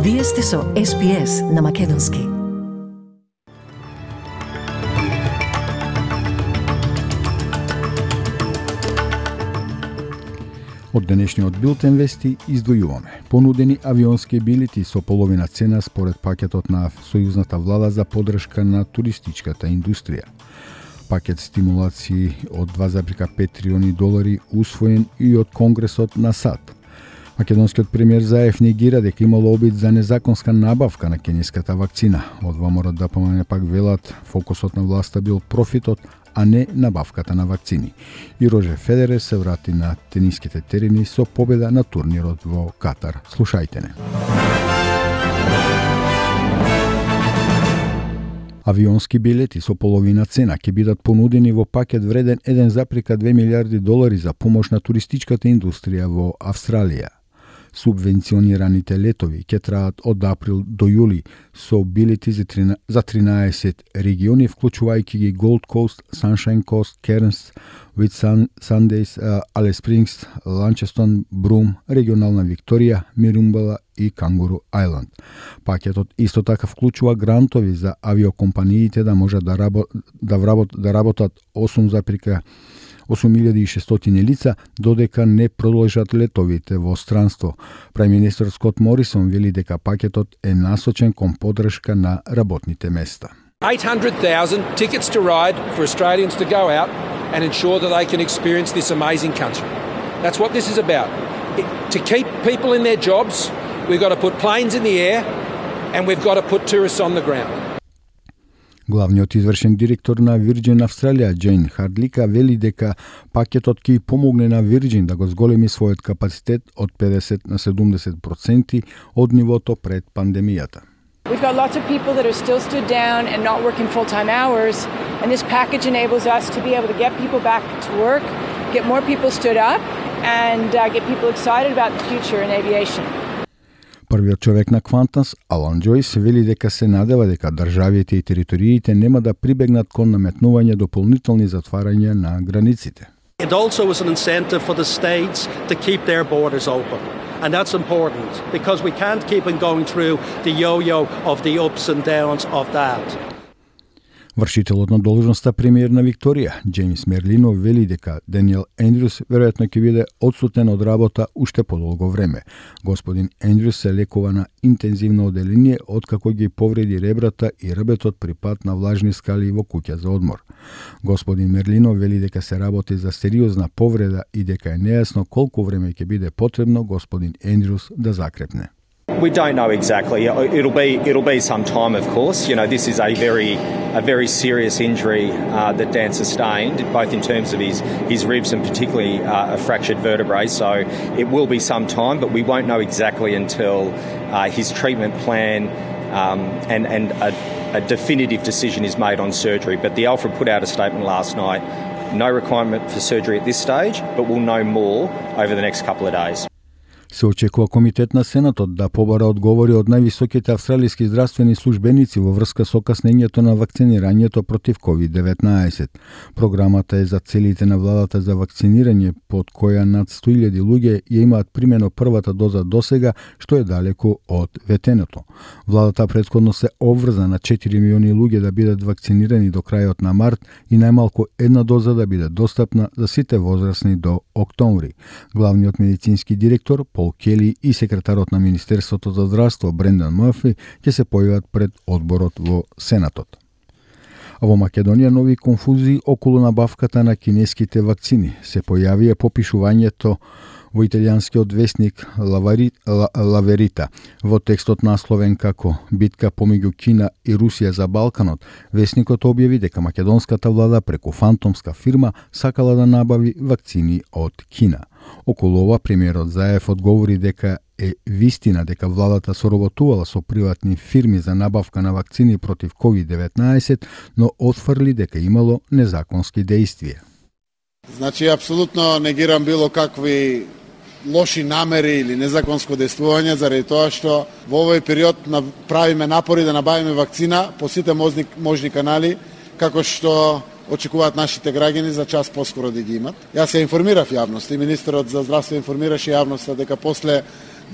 Вие сте со SPS на Македонски. Од денешниот билтен вести издвојуваме понудени авионски билети со половина цена според пакетот на сојузната влада за поддршка на туристичката индустрија. Пакет стимулации од 2,5 трилиони долари усвоен и од Конгресот на САД. Македонскиот премиер Заев негира дека имало обид за незаконска набавка на кинеската вакцина. Од ВМРО ДПМН пак велат фокусот на власта бил профитот, а не набавката на вакцини. И Роже Федерер се врати на тениските терени со победа на турнирот во Катар. Слушајте не. Авионски билети со половина цена ќе бидат понудени во пакет вреден 1,2 милиарди долари за помош на туристичката индустрија во Австралија. Субвенционираните летови ќе траат од април до јули со билети за 13 региони, вклучувајќи ги Gold Coast, Sunshine Coast, Cairns, Whitsundays, Alice Springs, Launceston, Broome, регионална Викторија, Мирумбала и Кангуру Ајланд. Пакетот исто така вклучува грантови за авиокомпаниите да можат да работат 8.600 лица додека не продолжат летовите во странство. Премиер Скот Морисон вели дека пакетот е насочен кон поддршка на работните места. 800,000 tickets to ride for Australians to go out and ensure that they can experience this amazing country. That's what this is about. To keep people in their jobs, we've got to put planes in the air and we've got to put tourists on the ground. Главниот извршен директор на Virgin Австралија, Джейн Хардлика, вели дека пакетот ќе помогне на Virgin да го зголеми својот капацитет од 50 на 70% од нивото пред пандемијата. We've got lots of people that are still stood down and not working full-time hours, and this package enables us to be able to get people back to work, get more people stood up, and get people excited about the future in aviation. Првиот човек на Qantas, Алан Джойс, вели дека се надева дека државите и териториите нема да прибегнат кон наметнување дополнителни затварања на границите. It also is an incentive for the states to keep their borders open. And that's important because we can't keep on going through the yo-yo of the ups and downs of that. Вршителот на должноста премиер на Викторија, Джеймс Мерлино, вели дека Даниел Ендрюс веројатно ќе биде одсутен од работа уште подолго време. Господин Ендрюс се лекува на интензивно оделение откако ги повреди ребрата и рбетот при пат на влажни скали во куќа за одмор. Господин Мерлино вели дека се работи за сериозна повреда и дека е нејасно колку време ќе биде потребно господин Ендрюс да закрепне. We don't know exactly. It'll be some time, of course. You know, this is a very serious injury that Dan sustained, both in terms of his ribs and particularly a fractured vertebrae. So it will be some time, but we won't know exactly until his treatment plan and a definitive decision is made on surgery. But the Alfred put out a statement last night. No requirement for surgery at this stage, but we'll know more over the next couple of days. Се очекува Комитет на Сенатот да побара одговори од највисоките австралиски здравствени службеници во врска со каснењето на вакцинирањето против COVID-19. Програмата е за целите на владата за вакцинирање, под која над 100,000 луѓе ја имаат примено првата доза досега, што е далеку од ветеното. Владата претходно се обврза на 4 милиони луѓе да бидат вакцинирани до крајот на март и најмалку една доза да биде достапна за сите возрастни до октомври. Главниот медицински директор Пол Кели и секретарот на Министерството за здравство Брендан Мърфи ќе се појават пред одборот во Сенатот. А во Македонија нови конфузии околу набавката на кинеските вакцини се појавија по пишувањето во италијанскиот весник Лаверита. Во текстот насловен како «Битка помеѓу Кина и Русија за Балканот», весникот објави дека македонската влада преку фантомска фирма сакала да набави вакцини од Кина. Околу ова премиерот Заев одговори дека е вистина дека владата соработувала со приватни фирми за набавка на вакцини против COVID-19, но отфрли дека имало незаконски дејствија. Значи, апсолутно негирам било какви лоши намери или незаконско дејствување, заради тоа што во овој период правиме напори да набавиме вакцина по сите можни канали, како што очекуваат нашите граѓани за час поскоро да ги имат. Јас се информирав јавноста и министерот за здравство информираше јавноста дека после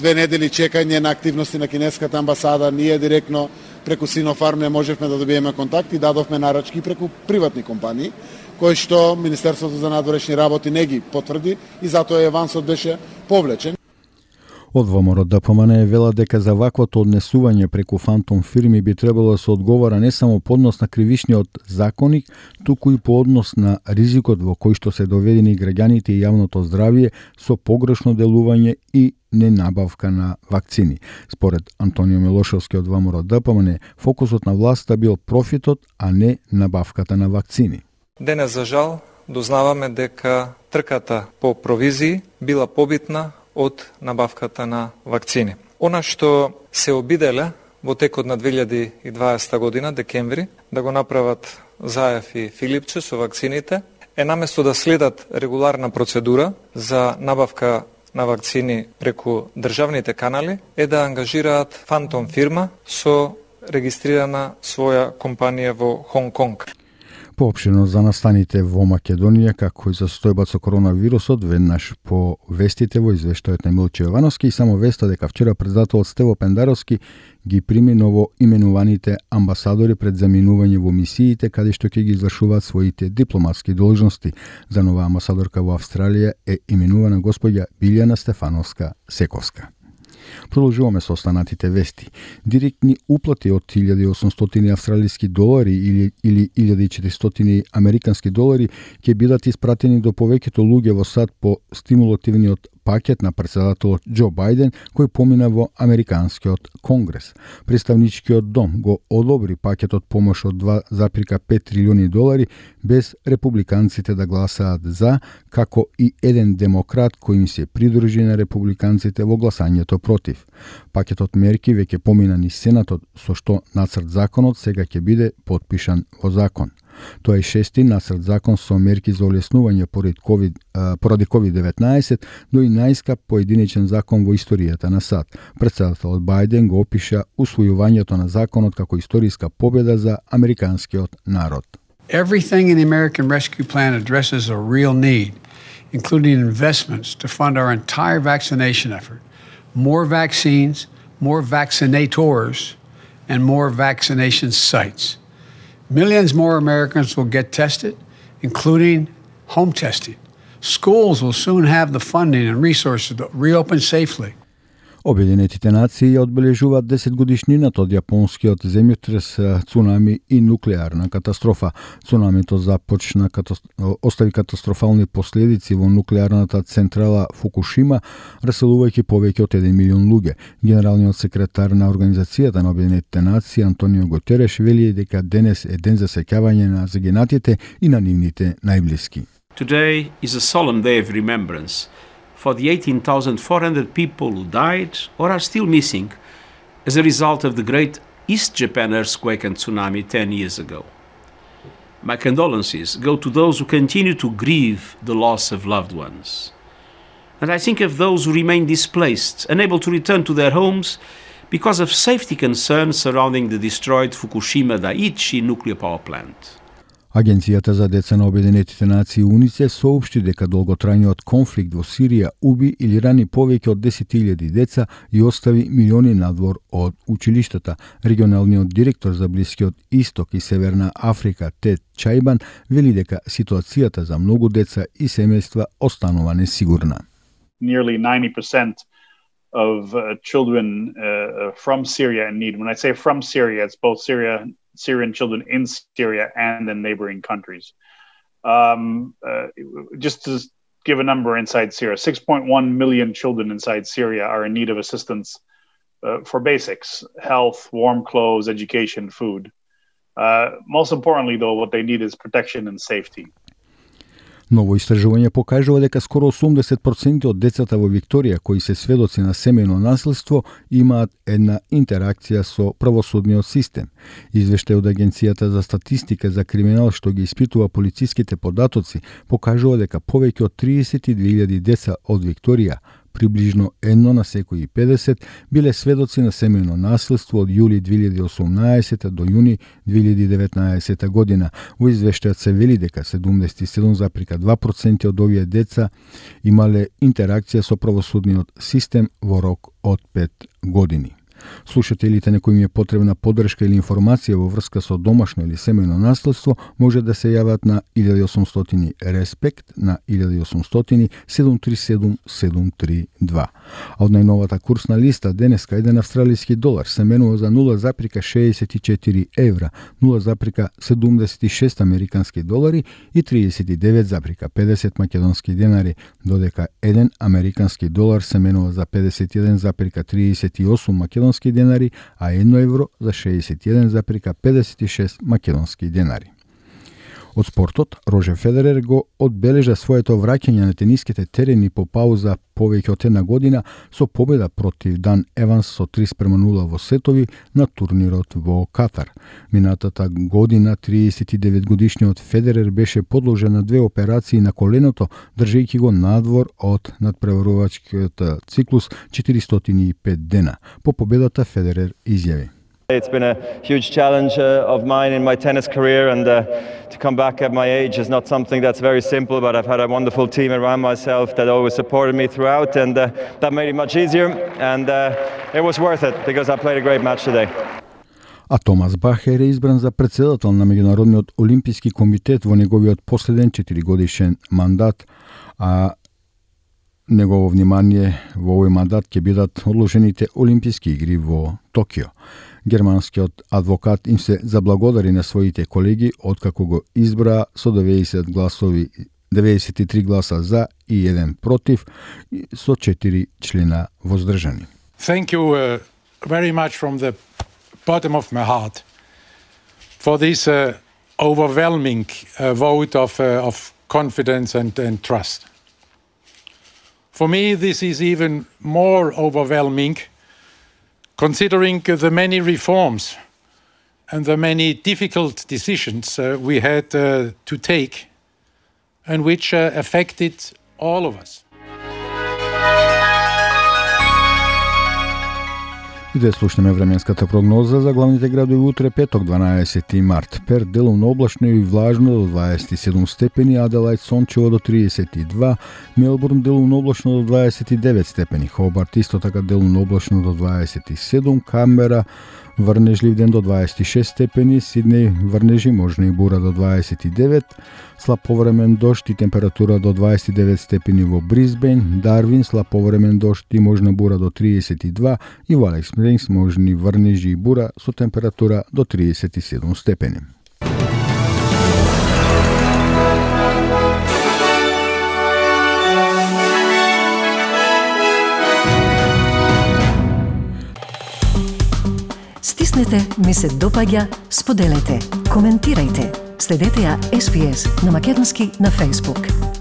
2 недели чекање на активности на кинеската амбасада, ние директно преку Синофарм не можевме да добиеме контакт и дадовме нарачки преку приватни компании, кои што Министерството за надворешни работи не ги потврди и затоа авансот беше повлечен. Од ВМРО ДПМН вела дека за ваквото однесување преку фантом фирми би требало да се одговара не само по однос на кривишниот законник, туку и по однос на ризикот во кој што се доведени граѓаните и јавното здравје со погрешно делување и ненабавка на вакцини. Според Антонио Милошевски од ВМРО ДПМН, фокусот на власта бил профитот, а не набавката на вакцини. Денес, за жал, дознаваме дека трката по провизии била побитна од набавката на вакцини. Она што се обиделе во текот на 2020 година, декември, да го направат Заев и Филипче со вакцините, е наместо да следат регуларна процедура за набавка на вакцини преку државните канали, е да ангажираат фантом фирма со регистрирана своја компанија во Хонг Конг. Поопштено за настаните во Македонија, како и за состојбата со коронавирусот, веднаш по вестите во извештајот на Милче Јовановски и само веста дека вчера председателот Стево Пендаровски ги прими ново именуваните амбасадори пред заминување во мисиите, каде што ќе ги извршуваат своите дипломатски должности. За нова амбасадорка во Австралија е именувана господја Билјана Стефановска Сековска. Продолжуваме со останатите вести. Директни уплати од 1800 австралиски долари или 1400 американски долари ќе бидат испратени до повеќето луѓе во САД по стимулативниот пакет на председателот Џо Бајден, кој помина во Американскиот конгрес. Представничкиот дом го одобри пакетот помош од 2,5 трилиони долари без републиканците да гласаат за, како и еден демократ кој им се придружи на републиканците во гласањето против. Пакетот мерки веќе помина низ Сенатот, со што нацрт законот сега ќе биде потпишан во закон. Тоа е шести нацрт закон со мерки за олеснување поради COVID-19, но и најскап поединечен закон во историјата на САД. Председателот Бајден го опиша усвојувањето на законот како историска победа за американскиот народ. Everything in the American Rescue Plan addresses a real need, including investments to fund our entire vaccination effort. More vaccines, more vaccinators, and more vaccination sites. Millions more Americans will get tested, including home testing. Schools will soon have the funding and resources to reopen safely. Обединетите нации одбележуваат 10 годишнината од јапонскиот земјотрес, цунами и нуклеарна катастрофа. Цунамито остави катастрофални последици во нуклеарната централа Фукушима, раселувајќи повеќе од 1 милион луѓе. Генералниот секретар на Организацијата на Обединетите нации Антонио Гутереш вели дека денес е ден за сеќавање на загинатите и на нивните најблиски. Today is a solemn day of remembrance for the 18,400 people who died or are still missing as a result of the great East Japan earthquake and tsunami 10 years ago. My condolences go to those who continue to grieve the loss of loved ones. And I think of those who remain displaced, unable to return to their homes because of safety concerns surrounding the destroyed Fukushima Daiichi nuclear power plant. Агенцијата за деца на Обединетите нации УНИЦЕФ соопшти дека долготрајниот конфликт во Сирија уби или рани повеќе од 10.000 деца и остави милиони надвор од училиштата. Регионалниот директор за Блискиот Исток и Северна Африка Тед Чајбан вели дека ситуацијата за многу деца и семејства останува несигурна. Nearly 90% of children from Syria in need. When I say from Syria, it's both Syrian children in Syria and in neighboring countries. Just to give a number inside Syria, 6.1 million children inside Syria are in need of assistance for basics, health, warm clothes, education, food. Most importantly, though, what they need is protection and safety. Ново истражување покажува дека скоро 80% од децата во Викторија кои се сведоци на семејно насилство имаат една интеракција со правосудниот систем. Извештај од Агенцијата за статистика за криминал што ги испитува полициските податоци покажува дека повеќе од 32.000 деца од Викторија приближно 1 на секои 50 биле сведоци на семејно насилство од јули 2018 до јуни 2019 година. Во извештајот се вели дека 77,2% од овие деца имале интеракција со правосудниот систем во рок од 5 години. Слушателите на кои им е потребна поддршка или информација во врска со домашно или семејно насилство може да се јават на 1800 респект на 1800 737 732. А од најновата курсна листа денеска еден австралиски долар се менува за 0,64 евра, 0,76 американски долари и 39,50 македонски денари, додека еден американски долар се менува за 51,38 македонски денари, а 1 евро за 61,56 македонски денари. Од спортот, Рожер Федерер го одбележа своето враќање на тениските терени по пауза повеќе од една година со победа против Дан Еванс со 3:0 во сетови на турнирот во Катар. Минатата година 39 годишниот Федерер беше подложен на 2 операции на коленото, држејќи го надвор од надпреварувачкиот циклус 405 дена. По победата Федерер изјави: It's been a huge challenge of mine in my tennis career, and to come back at my age is not something that's very simple, but I've had a wonderful team around myself that always supported me throughout, and that made it much easier, and it was worth it because I played a great match today. А Томас Бах е избран за председател на Меѓународниот олимписки комитет во неговиот последен 4-годишен мандат, а негово внимание во овој мандат ќе бидат одложените олимписки игри во Токио. Германскиот адвокат им се заблагодари на своите колеги откако го избра со 93 гласа за и 1 против, со 4 члена воздржани. Thank you very much from the bottom of my heart for this overwhelming vote of confidence and trust. For me, this is even more overwhelming considering the many reforms and the many difficult decisions we had to take and which affected all of us. И да слушнеме временската прогноза за главните градови утре петок 12 март. Перт делумно облачно и влажно до 27 степени, Аделајд сончево до 32, Мелбурн делумно облачно до 29 степени, Хобарт исто така делумно облачно до 27, Камбера врнежлив ден до 26 степени, Сиднеј врнежи можна и бура до 29, слаб повремен дожд и температура до 29 степени во Брисбен, Дарвин слаб повремен дожд и можна бура до 32 и во Алекс Спрингс можни врнежи и бура со температура до 37 степени. Стиснете ми се допаѓа, споделете, коментирајте. Следете ја SPS на Македонски на Facebook.